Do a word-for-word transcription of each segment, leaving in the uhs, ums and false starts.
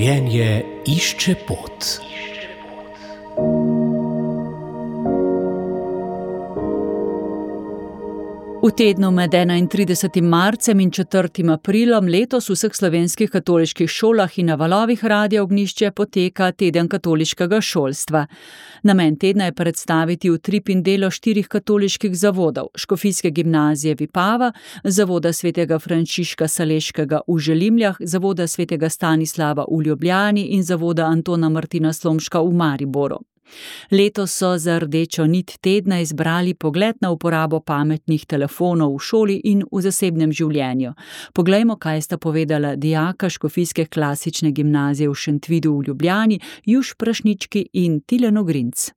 Življenje išče pot. V tednu med enaintridesetim marcem in četrtim aprilom letos v vseh slovenskih katoliških šolah in na valovih Radia Ognjišče poteka teden katoliškega šolstva. Namen tedna je predstaviti utrip in delo štirih katoliških zavodov: Škofijske gimnazije Vipava, Zavoda svetega Frančiška Saleškega v Želimljah, Zavoda svetega Stanislava v Ljubljani in Zavoda Antona Martina Slomška v Mariboru. Letos so za rdečo nit tedna izbrali pogled na uporabo pametnih telefonov v šoli in v zasebnem življenju. Poglejmo, kaj sta povedala dijaka Škofijske klasične gimnazije v Šentvidu v Ljubljani, Juš Prašnički in Tilen Ogrinc.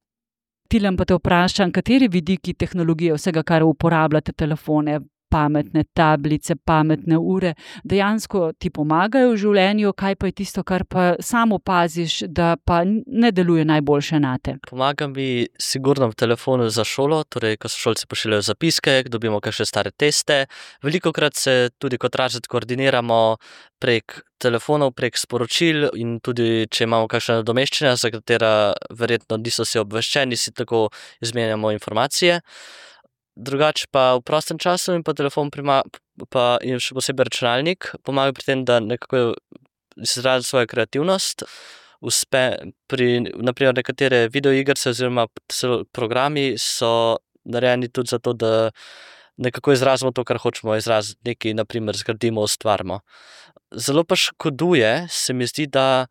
Tilen, pa te vprašam, kateri vidiki tehnologije, vsega, kar uporabljate, telefone, pametne tablice, pametne ure, dejansko ti pomagajo v življenju, kaj pa je tisto, kar pa sam opaziš, da pa ne deluje najboljše nate? Pomaga mi sigurno v telefonu za šolo, torej ko so šolci pošiljajo zapiske, dobimo kakšne stare teste. Velikokrat se tudi kot razred koordiniramo prek telefonov, prek sporočil in tudi, če imamo kakšna nadomeščanja, za katera verjetno niso vsi obveščeni, si tako izmenjamo informacije. Drugače pa v prostem času in pa telefon prima, pa in še posebej računalnik pomaga pri tem, da nekako izrazi svojo kreativnost. Uspe pri, naprimer, nekatere videoigrice oziroma programi so narejeni tudi zato, da nekako izrazimo to, kar hočemo izraziti, nekaj, naprimer, zgradimo, ustvarimo. Zelo pa škoduje, se mi zdi, da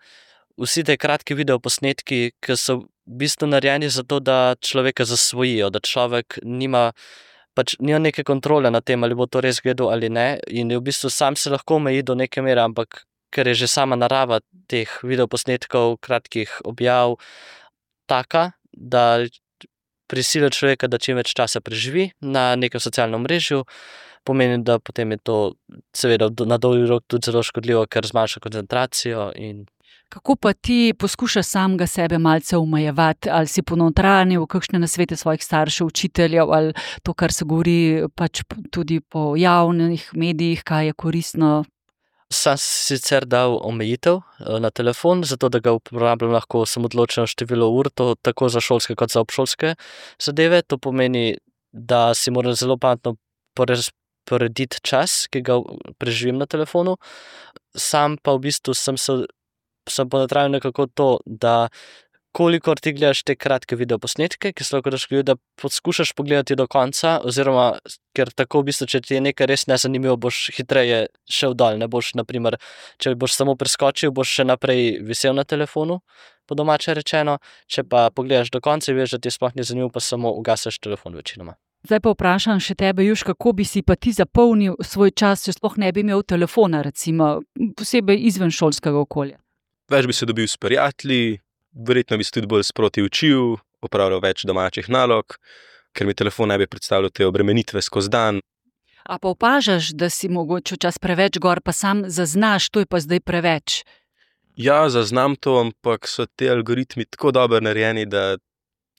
vsi te kratki videoposnetki, ki so v bistvu narejeni zato, da človeka zasvojijo, da človek nima, pač nima neke kontrole nad tem, ali bo to res gledal ali ne, in v bistvu sam se lahko omeji do neke mere, ampak ker je že sama narava teh videoposnetkov, kratkih objav taka, da prisili človeka, da čim več časa preživi na nekem socialnem mrežju, pomeni, da potem je to seveda na dolgi rok tudi zelo škodljivo, ker zmanjša koncentracijo. In kako pa ti poskušaš samega sebe malce omejevati, ali si ponotranjil kakšne nasvete svojih staršev, učiteljev, ali to, kar se govori pač tudi po javnih medijih, kaj je koristno? Sam si sicer dal omejitev na telefon, zato da ga uporabljam lahko samo določeno število ur, to tako za šolske kot za obšolske zadeve. To pomeni, da si moram zelo pametno porediti čas, ki ga preživim na telefonu. Sam pa v bistvu sem se sem ponotranjil nekako to, da kolikor ti gledaš te kratke videoposnetke, ki so lahko škodljivi, da poskušaš pogledati do konca, oziroma ker tako v bistvu, če ti je nekaj res nezanimivo, boš hitreje šel dol, ne boš, naprimer, če boš samo preskočil, boš še naprej visel na telefonu, po domače rečeno, če pa pogledaš do konca in veš, da ti sploh ni zanimivo, pa samo ugaseš telefon večinoma. Zdaj pa vprašam še tebe, Juš, kako bi si pa ti zapolnil svoj čas, če sploh ne bi imel telefona, recimo, posebej izven šolskega okolja? Več bi se dobil s prijatelji, verjetno bi se tudi bolj sproti učil, opravljal več domačih nalog, ker mi telefon ne bi predstavljal te obremenitve skozi dan. A pa opažaš, da si mogoče čas preveč gor, pa sam zaznaš, to je pa zdaj preveč? Ja, zaznam to, ampak so te algoritmi tako dobro narejeni, da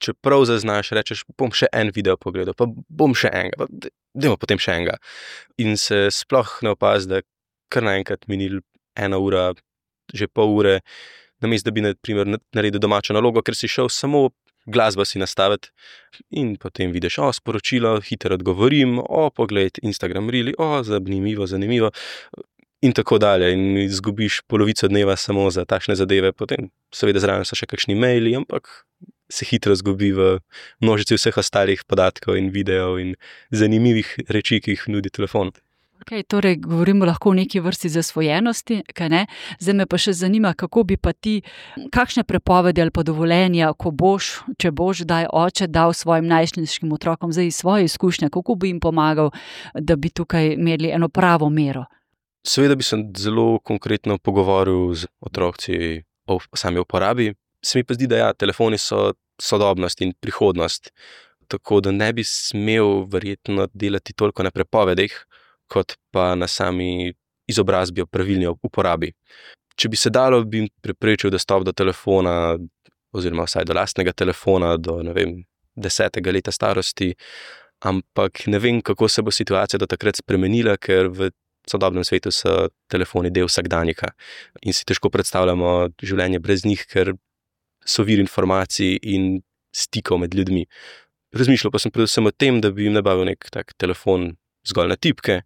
čeprav zaznaš, rečeš, bom še en video pogledal, pa bom še enega, pa dajmo potem še enega. In se sploh ne opazi, da kar naenkrat minil ena ura, že pol ure, namesto da bi na primer naredil domačo nalogo, ker si šel samo glasbo si nastaviti in potem vidiš, o, sporočilo, hitro odgovorim, o, pogled, Instagram Reeli, o, zanimivo, zanimivo in tako dalje. In izgubiš polovico dneva samo za takšne zadeve, potem seveda zraven so še kakšni maili, ampak se hitro zgubi v množici vseh ostalih podatkov in videov in zanimivih reči, ki jih nudi telefon. Okay, torej, govorimo lahko o neki vrsti zasvojenosti, kaj ne? Zdaj me pa še zanima, kako bi pa ti, kakšne prepovedi ali pa dovoljenja, ko boš, če boš daj oče dal svojim najstniškim otrokom zdaj svoje izkušnje, kako bi jim pomagal, da bi tukaj imeli eno pravo mero? Seveda bi se zelo konkretno pogovoril z otroci o sami uporabi. Se mi pa zdi, da ja, telefoni so sodobnost in prihodnost, tako da ne bi smel verjetno delati toliko na prepovedih, kot pa na sami izobrazbi o pravilni uporabi. Če bi se dalo, bi preprečil dostop do telefona, oziroma vsaj do lastnega telefona, do, ne vem, desetega leta starosti, ampak ne vem, kako se bo situacija do takrat spremenila, ker v sodobnem svetu so telefoni del vsakdanjika in si težko predstavljamo življenje brez njih, ker so vir informacij in stikov med ljudmi. Razmišljal pa sem predvsem o tem, da bi jim nabavil nek tak telefon zgolj na tipke,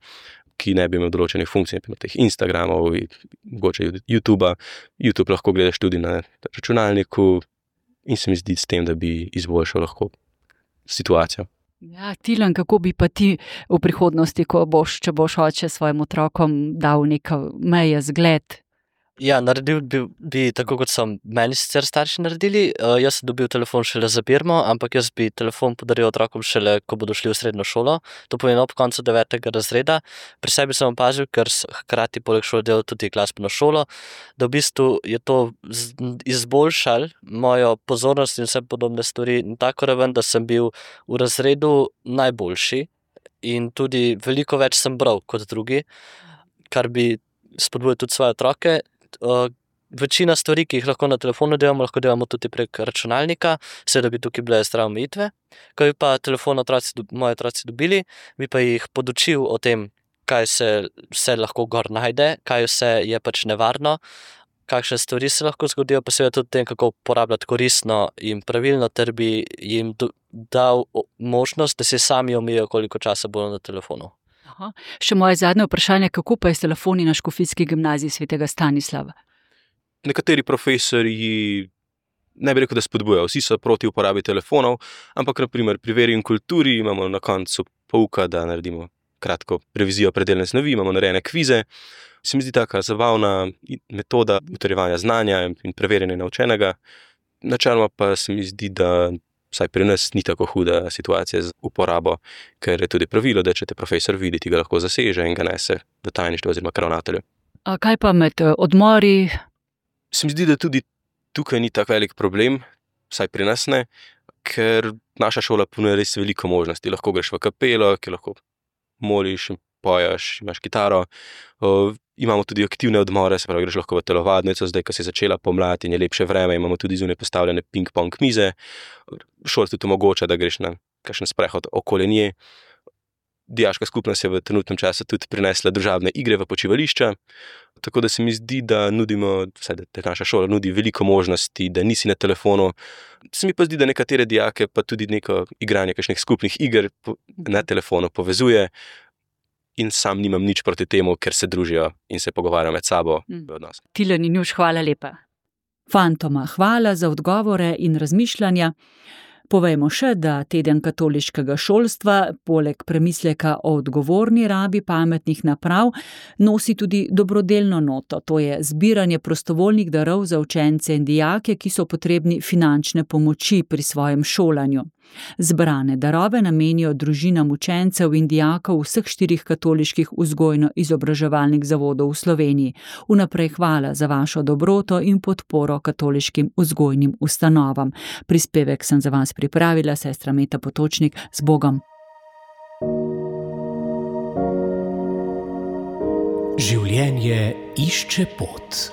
ki ne bi imel določenih funkcij, naprimer teh Instagramov, mogoče YouTubea. YouTube lahko gledaš tudi na računalniku in se mi zdi s tem, da bi izboljšal lahko situacijo. Ja, Tilen, kako bi pa ti v prihodnosti, ko boš, če boš oče svojim otrokom dal neka meje, zgled? Ja, naredil bi, bi tako, kot so meni sicer starši naredili. Uh, jaz sem dobil telefon šele za birmo, ampak jaz bi telefon podaril otrokom šele, ko bodo šli v srednjo šolo. To pomeni ob koncu devetega razreda. Pri sebi sem opazil, ker hkrati poleg šole delal tudi glasbeno šolo, da v bistvu je to izboljšalo mojo pozornost in vse podobne stvari na tako raven, da sem bil v razredu najboljši in tudi veliko več sem bral kot drugi, kar bi spodbujal tudi svoje otroke. Uh, večina stvari, ki jih lahko na telefonu delamo, lahko delamo tudi prek računalnika, seveda bi tukaj bile zdrave omejitve. Ko bi pa telefon otroci, moji otroci dobili, bi pa jih podučil o tem, kaj se vse lahko gor najde, kaj vse je pač nevarno, kakšne stvari se lahko zgodijo, pa seveda tudi tem, kako uporabljati koristno in pravilno, ter bi jim do, dal možnost, da se sami omejijo, koliko časa bodo na telefonu. Aha. Še moje zadnje vprašanje, kako pa je s telefoni na Škofijski gimnaziji svetega Stanislava? Nekateri profesorji, ne bi rekel, da spodbujajo, vsi so proti uporabi telefonov, ampak na primer pri veri in kulturi imamo na koncu pouka, da naredimo kratko revizijo predelne snovi, imamo narejene kvize. Se mi zdi taka zabavna metoda utrjevanja znanja in preverjanja naučenega. Načeloma pa se mi zdi, da vsaj pri nas ni tako huda situacija z uporabo, ker je tudi pravilo, da če te profesor vidi, ti ga lahko zaseže in ga nese do tajništva oziroma k ravnatelju. A kaj pa med odmori? Se mi zdi, da tudi tukaj ni tak velik problem, vsaj pri nas ne, ker naša šola ponuja res veliko možnosti. Lahko greš v kapelo, ki lahko moliš in pojaš, imaš kitaro. Uh, imamo tudi aktivne odmore, se pravi, greš lahko v telovadnico, zdaj, ko se je začela pomlad in je lepše vreme, imamo tudi zunaj postavljene ping-pong mize. Šola tudi omogoča, da greš na kakšen sprehod okoli nje. Dijaška skupnost je v trenutnem času tudi prinesla družabne igre v počivališča, tako da se mi zdi, da nudimo, vsaj da naša šola nudi veliko možnosti, da nisi na telefonu. Se mi pa zdi, da nekatere dijake pa tudi neko igranje kakšnih skupnih iger na telefonu povezuje. In sam nimam nič proti temu, ker se družijo in se pogovarjajo med sabo v odnosu. Tilen in Juš, hvala lepa. Fantoma, hvala za odgovore in razmišljanja. Povejmo še, da teden katoliškega šolstva, poleg premisleka o odgovorni rabi pametnih naprav, nosi tudi dobrodelno noto, to je zbiranje prostovoljnih darov za učence in dijake, ki so potrebni finančne pomoči pri svojem šolanju. Zbrane darove namenijo družinam učencev in dijakov vseh štirih katoliških vzgojno-izobraževalnih zavodov v Sloveniji. Vnaprej hvala za vašo dobroto in podporo katoliškim vzgojnim ustanovam. Prispevek sem za vas pripravila, sestra Meta Potočnik, z Bogom. Življenje išče pot.